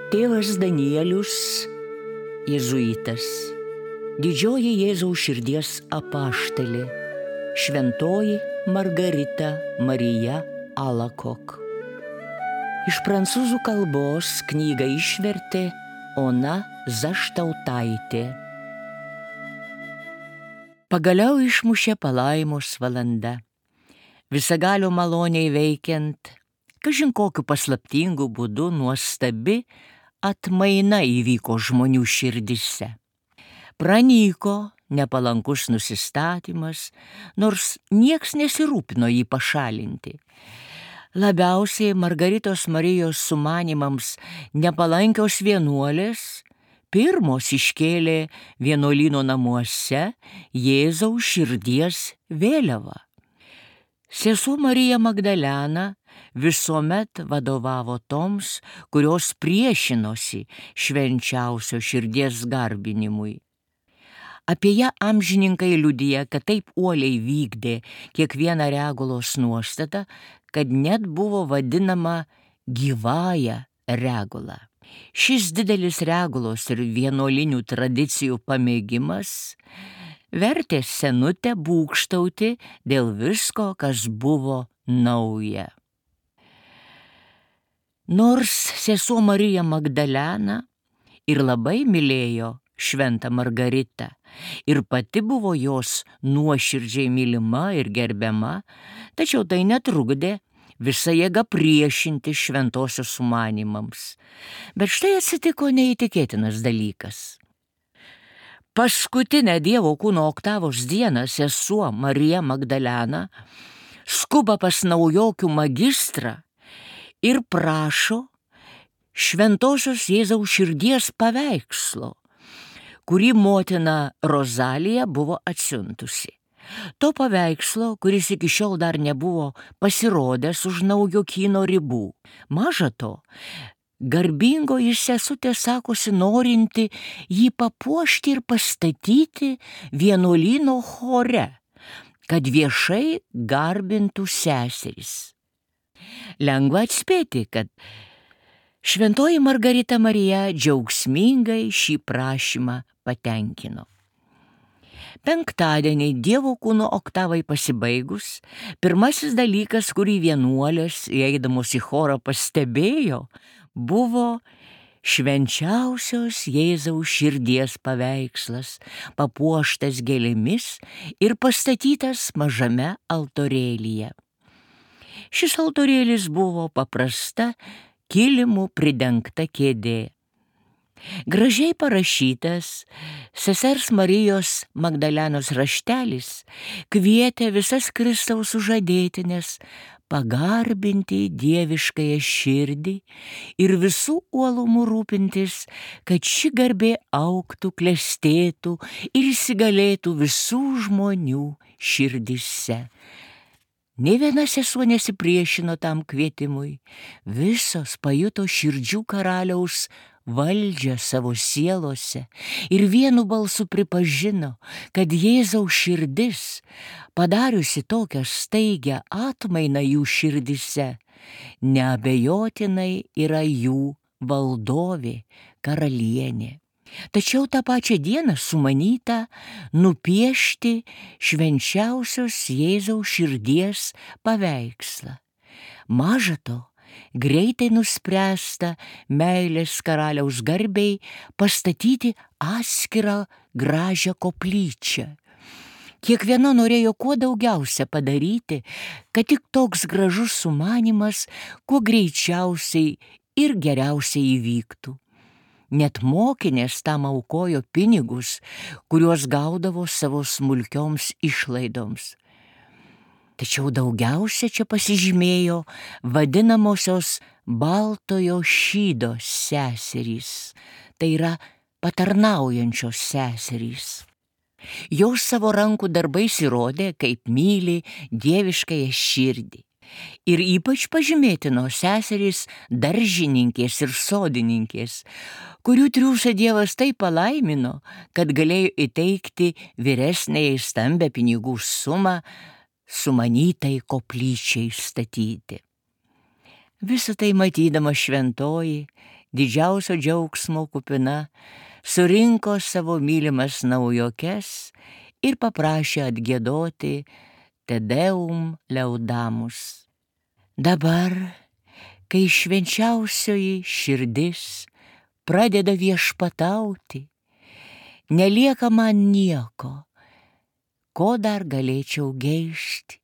Tėvas Danielius, jėzuitas, didžioji Jėzaus širdies apaštalė, šventoji Margarita Marija Alacoque. Iš prancūzų kalbos knygą išvertė Ona Zaštautaitė. Pagaliau išmušė palaimos valanda. Visagalio maloniai veikiant, kažin kokiu paslaptingu būdu nuostabi atmaina įvyko žmonių širdise. Pranyko nepalankus nusistatymas, nors nieks nesirūpino jį pašalinti. Labiausiai Margaritos Marijos sumanimams nepalankios vienuolės pirmos iškėlė vienuolyno namuose Jėzaus širdies vėliavą. Sesuo Marija Magdalena visuomet vadovavo toms, kurios priešinosi švenčiausio širdies garbinimui. Apie ją amžininkai liudija, kad taip uoliai vykdė kiekvieną regulos nuostatą, kad net buvo vadinama gyvąja regula. Šis didelis regulos ir vienuolinių tradicijų pamėgimas vertė senutę būgštauti dėl visko, kas buvo nauja. Nors sesuo Marija Magdalena ir labai mylėjo šventą Margaritą ir pati buvo jos nuoširdžiai mylima ir gerbiama, tačiau tai netrukdė visa jėga priešinti šventosios sumanimams. Bet štai atsitiko neįtikėtinas dalykas. Paskutinę Dievo kūno oktavos dieną sesuo Marija Magdalena skuba pas naujokių magistrą ir prašo šventosios Jėzaus širdies paveikslo, kurį motina Rozalija buvo atsiuntusi. To paveikslo, kuris iki šiol dar nebuvo pasirodęs už naujokyno ribų. Maža to, garbingoji sesutė sakosi norinti jį papuošti ir pastatyti vienuolyno chore, kad viešai garbintų seserys. Lengva atspėti, kad šventoji Margarita Marija džiaugsmingai šį prašymą patenkino. Penktadienį Dievo kūno oktavai pasibaigus, pirmasis dalykas, kurį vienuolės, įeidamos į chorą, pastebėjo, buvo švenčiausios Jėzaus širdies paveikslas, papuoštas gėlėmis ir pastatytas mažame altorėlyje. Šis altorėlis buvo paprasta kilimu pridengta kėdė. Gražiai parašytas sesers Marijos Magdalenos raštelis kvietė visas Kristaus sužadėtines pagarbinti dieviškąją širdį ir visų uolumų rūpintis, kad ši garbė augtų, klestėtų ir įsigalėtų visų žmonių širdise. Nė viena sesuo nesipriešino tam kvietimui, visos pajuto širdžių karaliaus valdžią savo sielose ir vienu balsu pripažino, kad Jėzaus širdis, padariusi tokią staigią atmainą jų širdise, neabejotinai yra jų valdovė, karalienė. Tačiau tą pačią dieną sumanyta nupiešti švenčiausios Jėzaus širdies paveikslą. Maža to, greitai nuspręsta meilės karaliaus garbei pastatyti atskirą gražią koplyčią. Kiekviena norėjo kuo daugiausia padaryti, kad tik toks gražus sumanymas kuo greičiausiai ir geriausiai įvyktų. Net mokinės tam aukojo pinigus, kuriuos gaudavo savo smulkioms išlaidoms. Tačiau daugiausia čia pasižymėjo vadinamosios baltojo šydo seserys, tai yra patarnaujančios seserys. Jos savo rankų darbais įrodė, kaip myli dieviškąją širdį. Ir ypač pažymėtino seserys daržininkės ir sodininkės, kurių triūsą Dievas taip palaimino, kad galėjo įteikti vyresnei stambę pinigų sumą sumanytai koplyčiai statyti. Visą tai matydama šventoji didžiausio džiaugsmo kupina, surinko savo mylimas naujokes ir paprašė atgiedoti Te Deum Laudamus. Dabar, kai švenčiausioji širdis pradeda viešpatauti, nelieka man nieko, ko dar galėčiau geišti,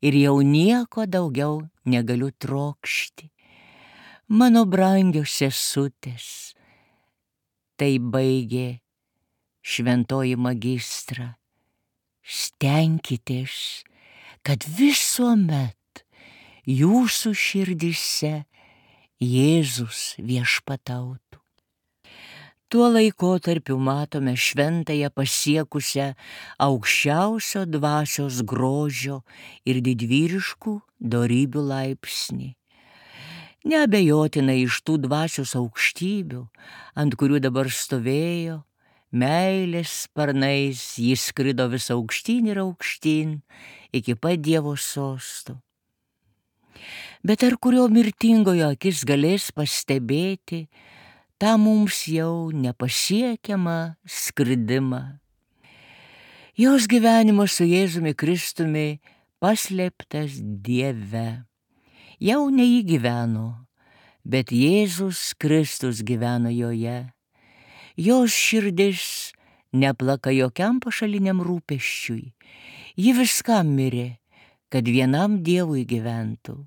ir jau nieko daugiau negaliu trokšti. Mano brangios sesutės, tai baigė šventoji magistra, stenkitės, kad visuomet jūsų širdyse Jėzus viešpatautų. Tuo laikotarpiu matome šventąją pasiekusią aukščiausio dvasios grožio ir didvyriškų dorybių laipsnį. Neabejotinai iš tų dvasios aukštybių, ant kurių dabar stovėjo, meilės sparnais jis skrido vis aukštyn ir aukštyn iki pat Dievo sosto. Bet ar kurio mirtingojo akis galės pastebėti tą mums jau nepasiekiamą skridimą? Jos gyvenimas su Jėzumi Kristumi paslėptas Dieve. Jau ne jį gyveno, bet Jėzus Kristus gyveno joje. Jos širdis neplaka jokiam pašaliniam rūpesčiui. Ji viskam mirė, kad vienam Dievui gyventų.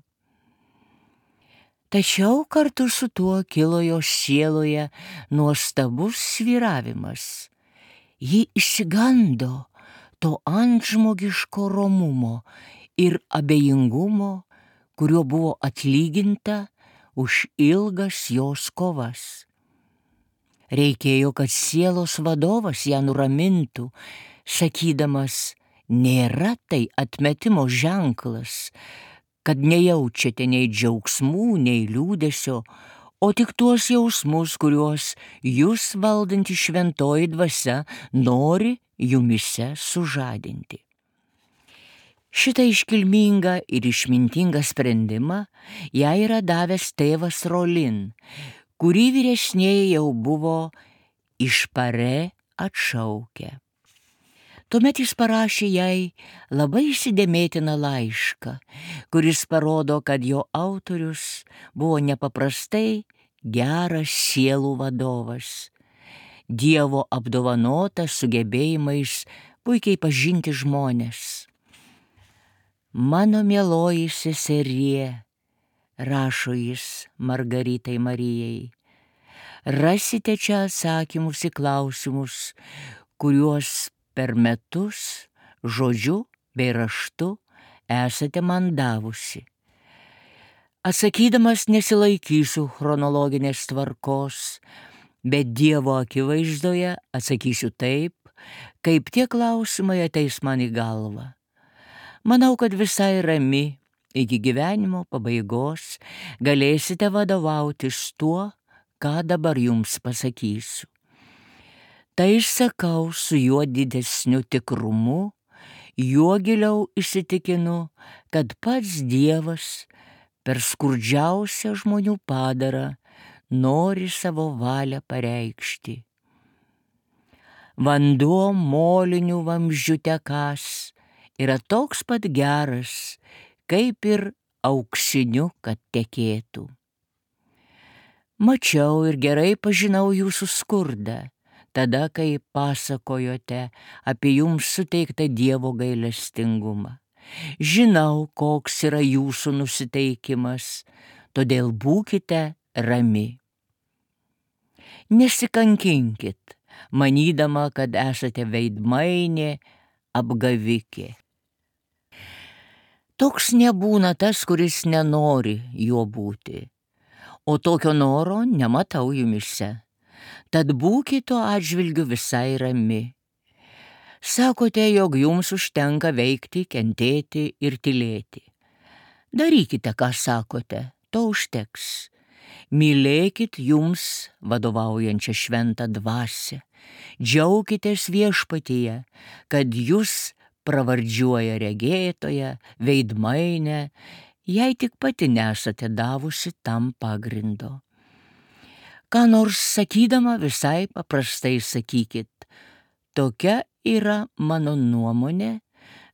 Tačiau kartu su tuo kilo jos sieloje nuostabus svyravimas. Ji išsigando to antžmogiško romumo ir abejingumo, kuriuo buvo atlyginta už ilgas jos kovas. Reikėjo, kad sielos vadovas ją nuramintų, sakydamas, nėra tai atmetimo ženklas, kad nejaučiate nei džiaugsmų, nei liūdesio, o tik tuos jausmus, kuriuos jūs valdanti šventoji dvasia nori jumise sužadinti. Šitą iškilmingą ir išmintingą sprendimą jai yra davęs tėvas Rolin, kurį vyresnieji jau buvo iš Parė atšaukę. Tuomet jis parašė jai labai įsidėmėtiną laišką, kuris parodo, kad jo autorius buvo nepaprastai geras sielų vadovas, Dievo apdovanotas sugebėjimais puikiai pažinti žmones. Mano mieloji seserie, rašo jis Margaritai Marijai, rasite čia atsakymus į klausimus, kuriuos per metus, žodžiu bei raštu esate man davusi. Atsakydamas nesilaikysiu chronologinės tvarkos, bet Dievo akivaizdoje atsakysiu taip, kaip tie klausimai ateis man į galvą. Manau, kad visai rami iki gyvenimo pabaigos galėsite vadovautis tuo, ką dabar jums pasakysiu. Tai sakau su juo didesniu tikrumu, juo giliau įsitikinu, kad pats Dievas per skurdžiausią žmonių padarą nori savo valią pareikšti. Vanduo molinių vamzdžių tekąs yra toks pat geras, kaip ir auksiniu, kad tekėtų. Mačiau ir gerai pažinau jūsų skurdą, tada, kai pasakojote apie jums suteiktą Dievo gailestingumą. Žinau, koks yra jūsų nusiteikimas, todėl būkite rami. Nesikankinkit, manydama, kad esate veidmainė, apgavikė. Toks nebūna tas, kuris nenori juo būti, o tokio noro nematau jumise. Tad būkite tuo atžvilgiu visai rami. Sakote, jog jums užtenka veikti, kentėti ir tylėti. Darykite, ką sakote, to užteks. Mylėkit jums vadovaujančią šventą dvasią. Džiaukitės viešpatyje, kad jūs pravardžiuoja regėtoja, veidmainė, jei tik pati nesate davusi tam pagrindo. Ką nors sakydama visai paprastai sakykit. Tokia yra mano nuomonė,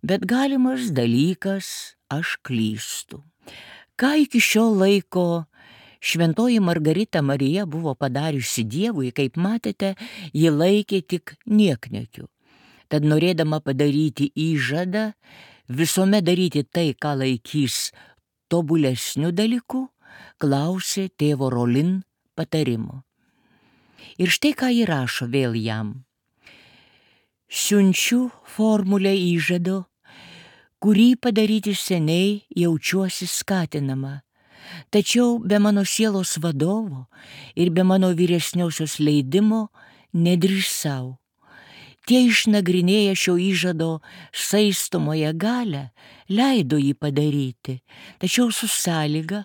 bet galimas dalykas, aš klystu. Ką iki šio laiko šventoji Margarita Marija buvo padariusi Dievui, kaip matėte, ji laikė tik niekniekiu. Tad norėdama padaryti įžadą, visuomet daryti tai, ką laikys tobulesniu dalyku, klausė tėvo Rolin patarimo. Ir štai ką ji rašo vėl jam. Siunčiu formulę įžado, kurį padaryti seniai jaučiuosi skatinama, tačiau be mano sielos vadovo ir be mano vyresniosios leidimo nedrįsau. Tie išnagrinėję šio įžado saistomąją galią leido jį padaryti, tačiau su sąlyga,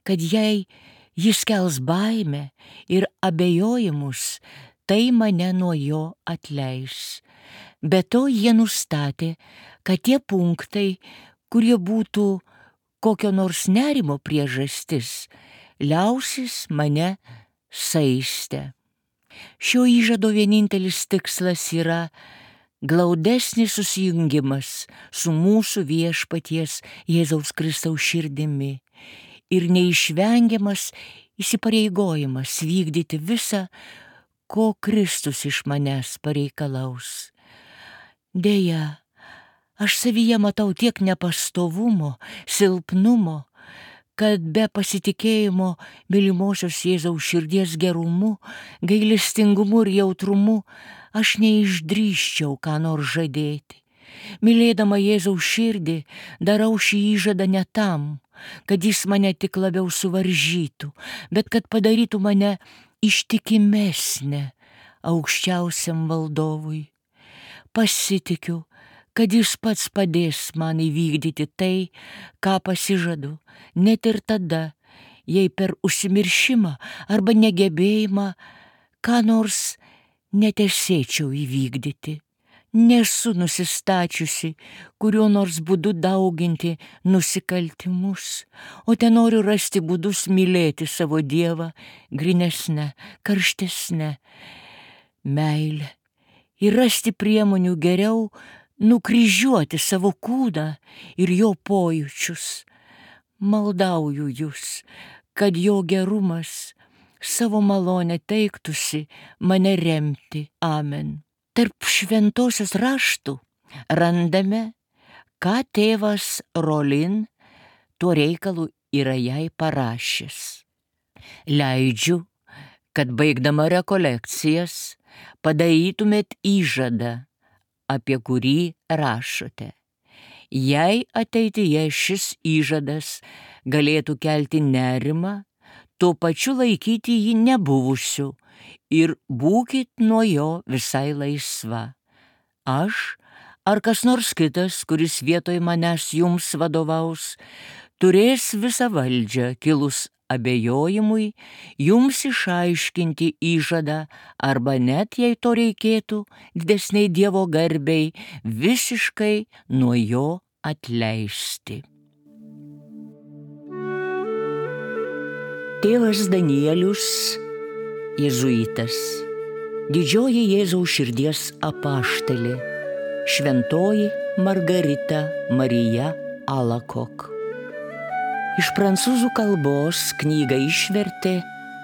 kad jei jis kels baimę ir abejojimus, tai mane nuo jo atleis. Be to jie nustatė, kad tie punktai, kurie būtų kokio nors nerimo priežastis, liausis mane saistę. Šio įžado vienintelis tikslas yra glaudesnis susijungimas su mūsų viešpaties Jėzaus Kristaus širdimi ir neišvengiamas įsipareigojimas vykdyti visą, ko Kristus iš manęs pareikalaus. Deja, aš savyje matau tiek nepastovumo, silpnumo, kad be pasitikėjimo mylimosios Jėzaus širdies gerumu, gailestingumu ir jautrumu aš neišdrįsčiau ką nors žadėti. Mylėdama Jėzaus širdį, darau šį įžadą ne tam, kad jis mane tik labiau suvaržytų, bet kad padarytų mane ištikimesnę aukščiausiam valdovui. Pasitikiu, kad jis pats padės man įvykdyti tai, ką pasižadu, net ir tada, jei per užsimiršimą arba negebėjimą ką nors netesėčiau įvykdyti. Nesu nusistačiusi kuriuo nors būdu dauginti nusikaltimus, o tenoriu rasti būdus mylėti savo Dievą grynesnę, karštesnę meilę ir rasti priemonių geriau nukryžiuoti savo kūną ir jo pojūčius. Maldauju jūs, kad jo gerumas savo malonę teiktusi mane remti. Amen. Tarp šventosios raštų randame, ką tėvas Rolin tuo reikalu yra jai parašęs. Leidžiu, kad baigdama rekolekcijas padarytumėt įžadą, apie kurį rašote. Jei ateityje šis įžadas galėtų kelti nerimą, tuo pačiu laikyti jį nebuvusiu ir būkit nuo jo visai laisva. Aš ar kas nors kitas, kuris vietoj manęs jums vadovaus, turės visą valdžią kilus abejojimui jums išaiškinti įžadą arba net, jei to reikėtų, didesniai Dievo garbei, visiškai nuo jo atleisti. Tėvas Danielius, jėzuitas, didžioji Jėzaus širdies apaštalė, šventoji Margarita Marija Alacoque. Iš prancūzų kalbos knygą išvertė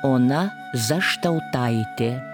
Ona Zaštautaitė.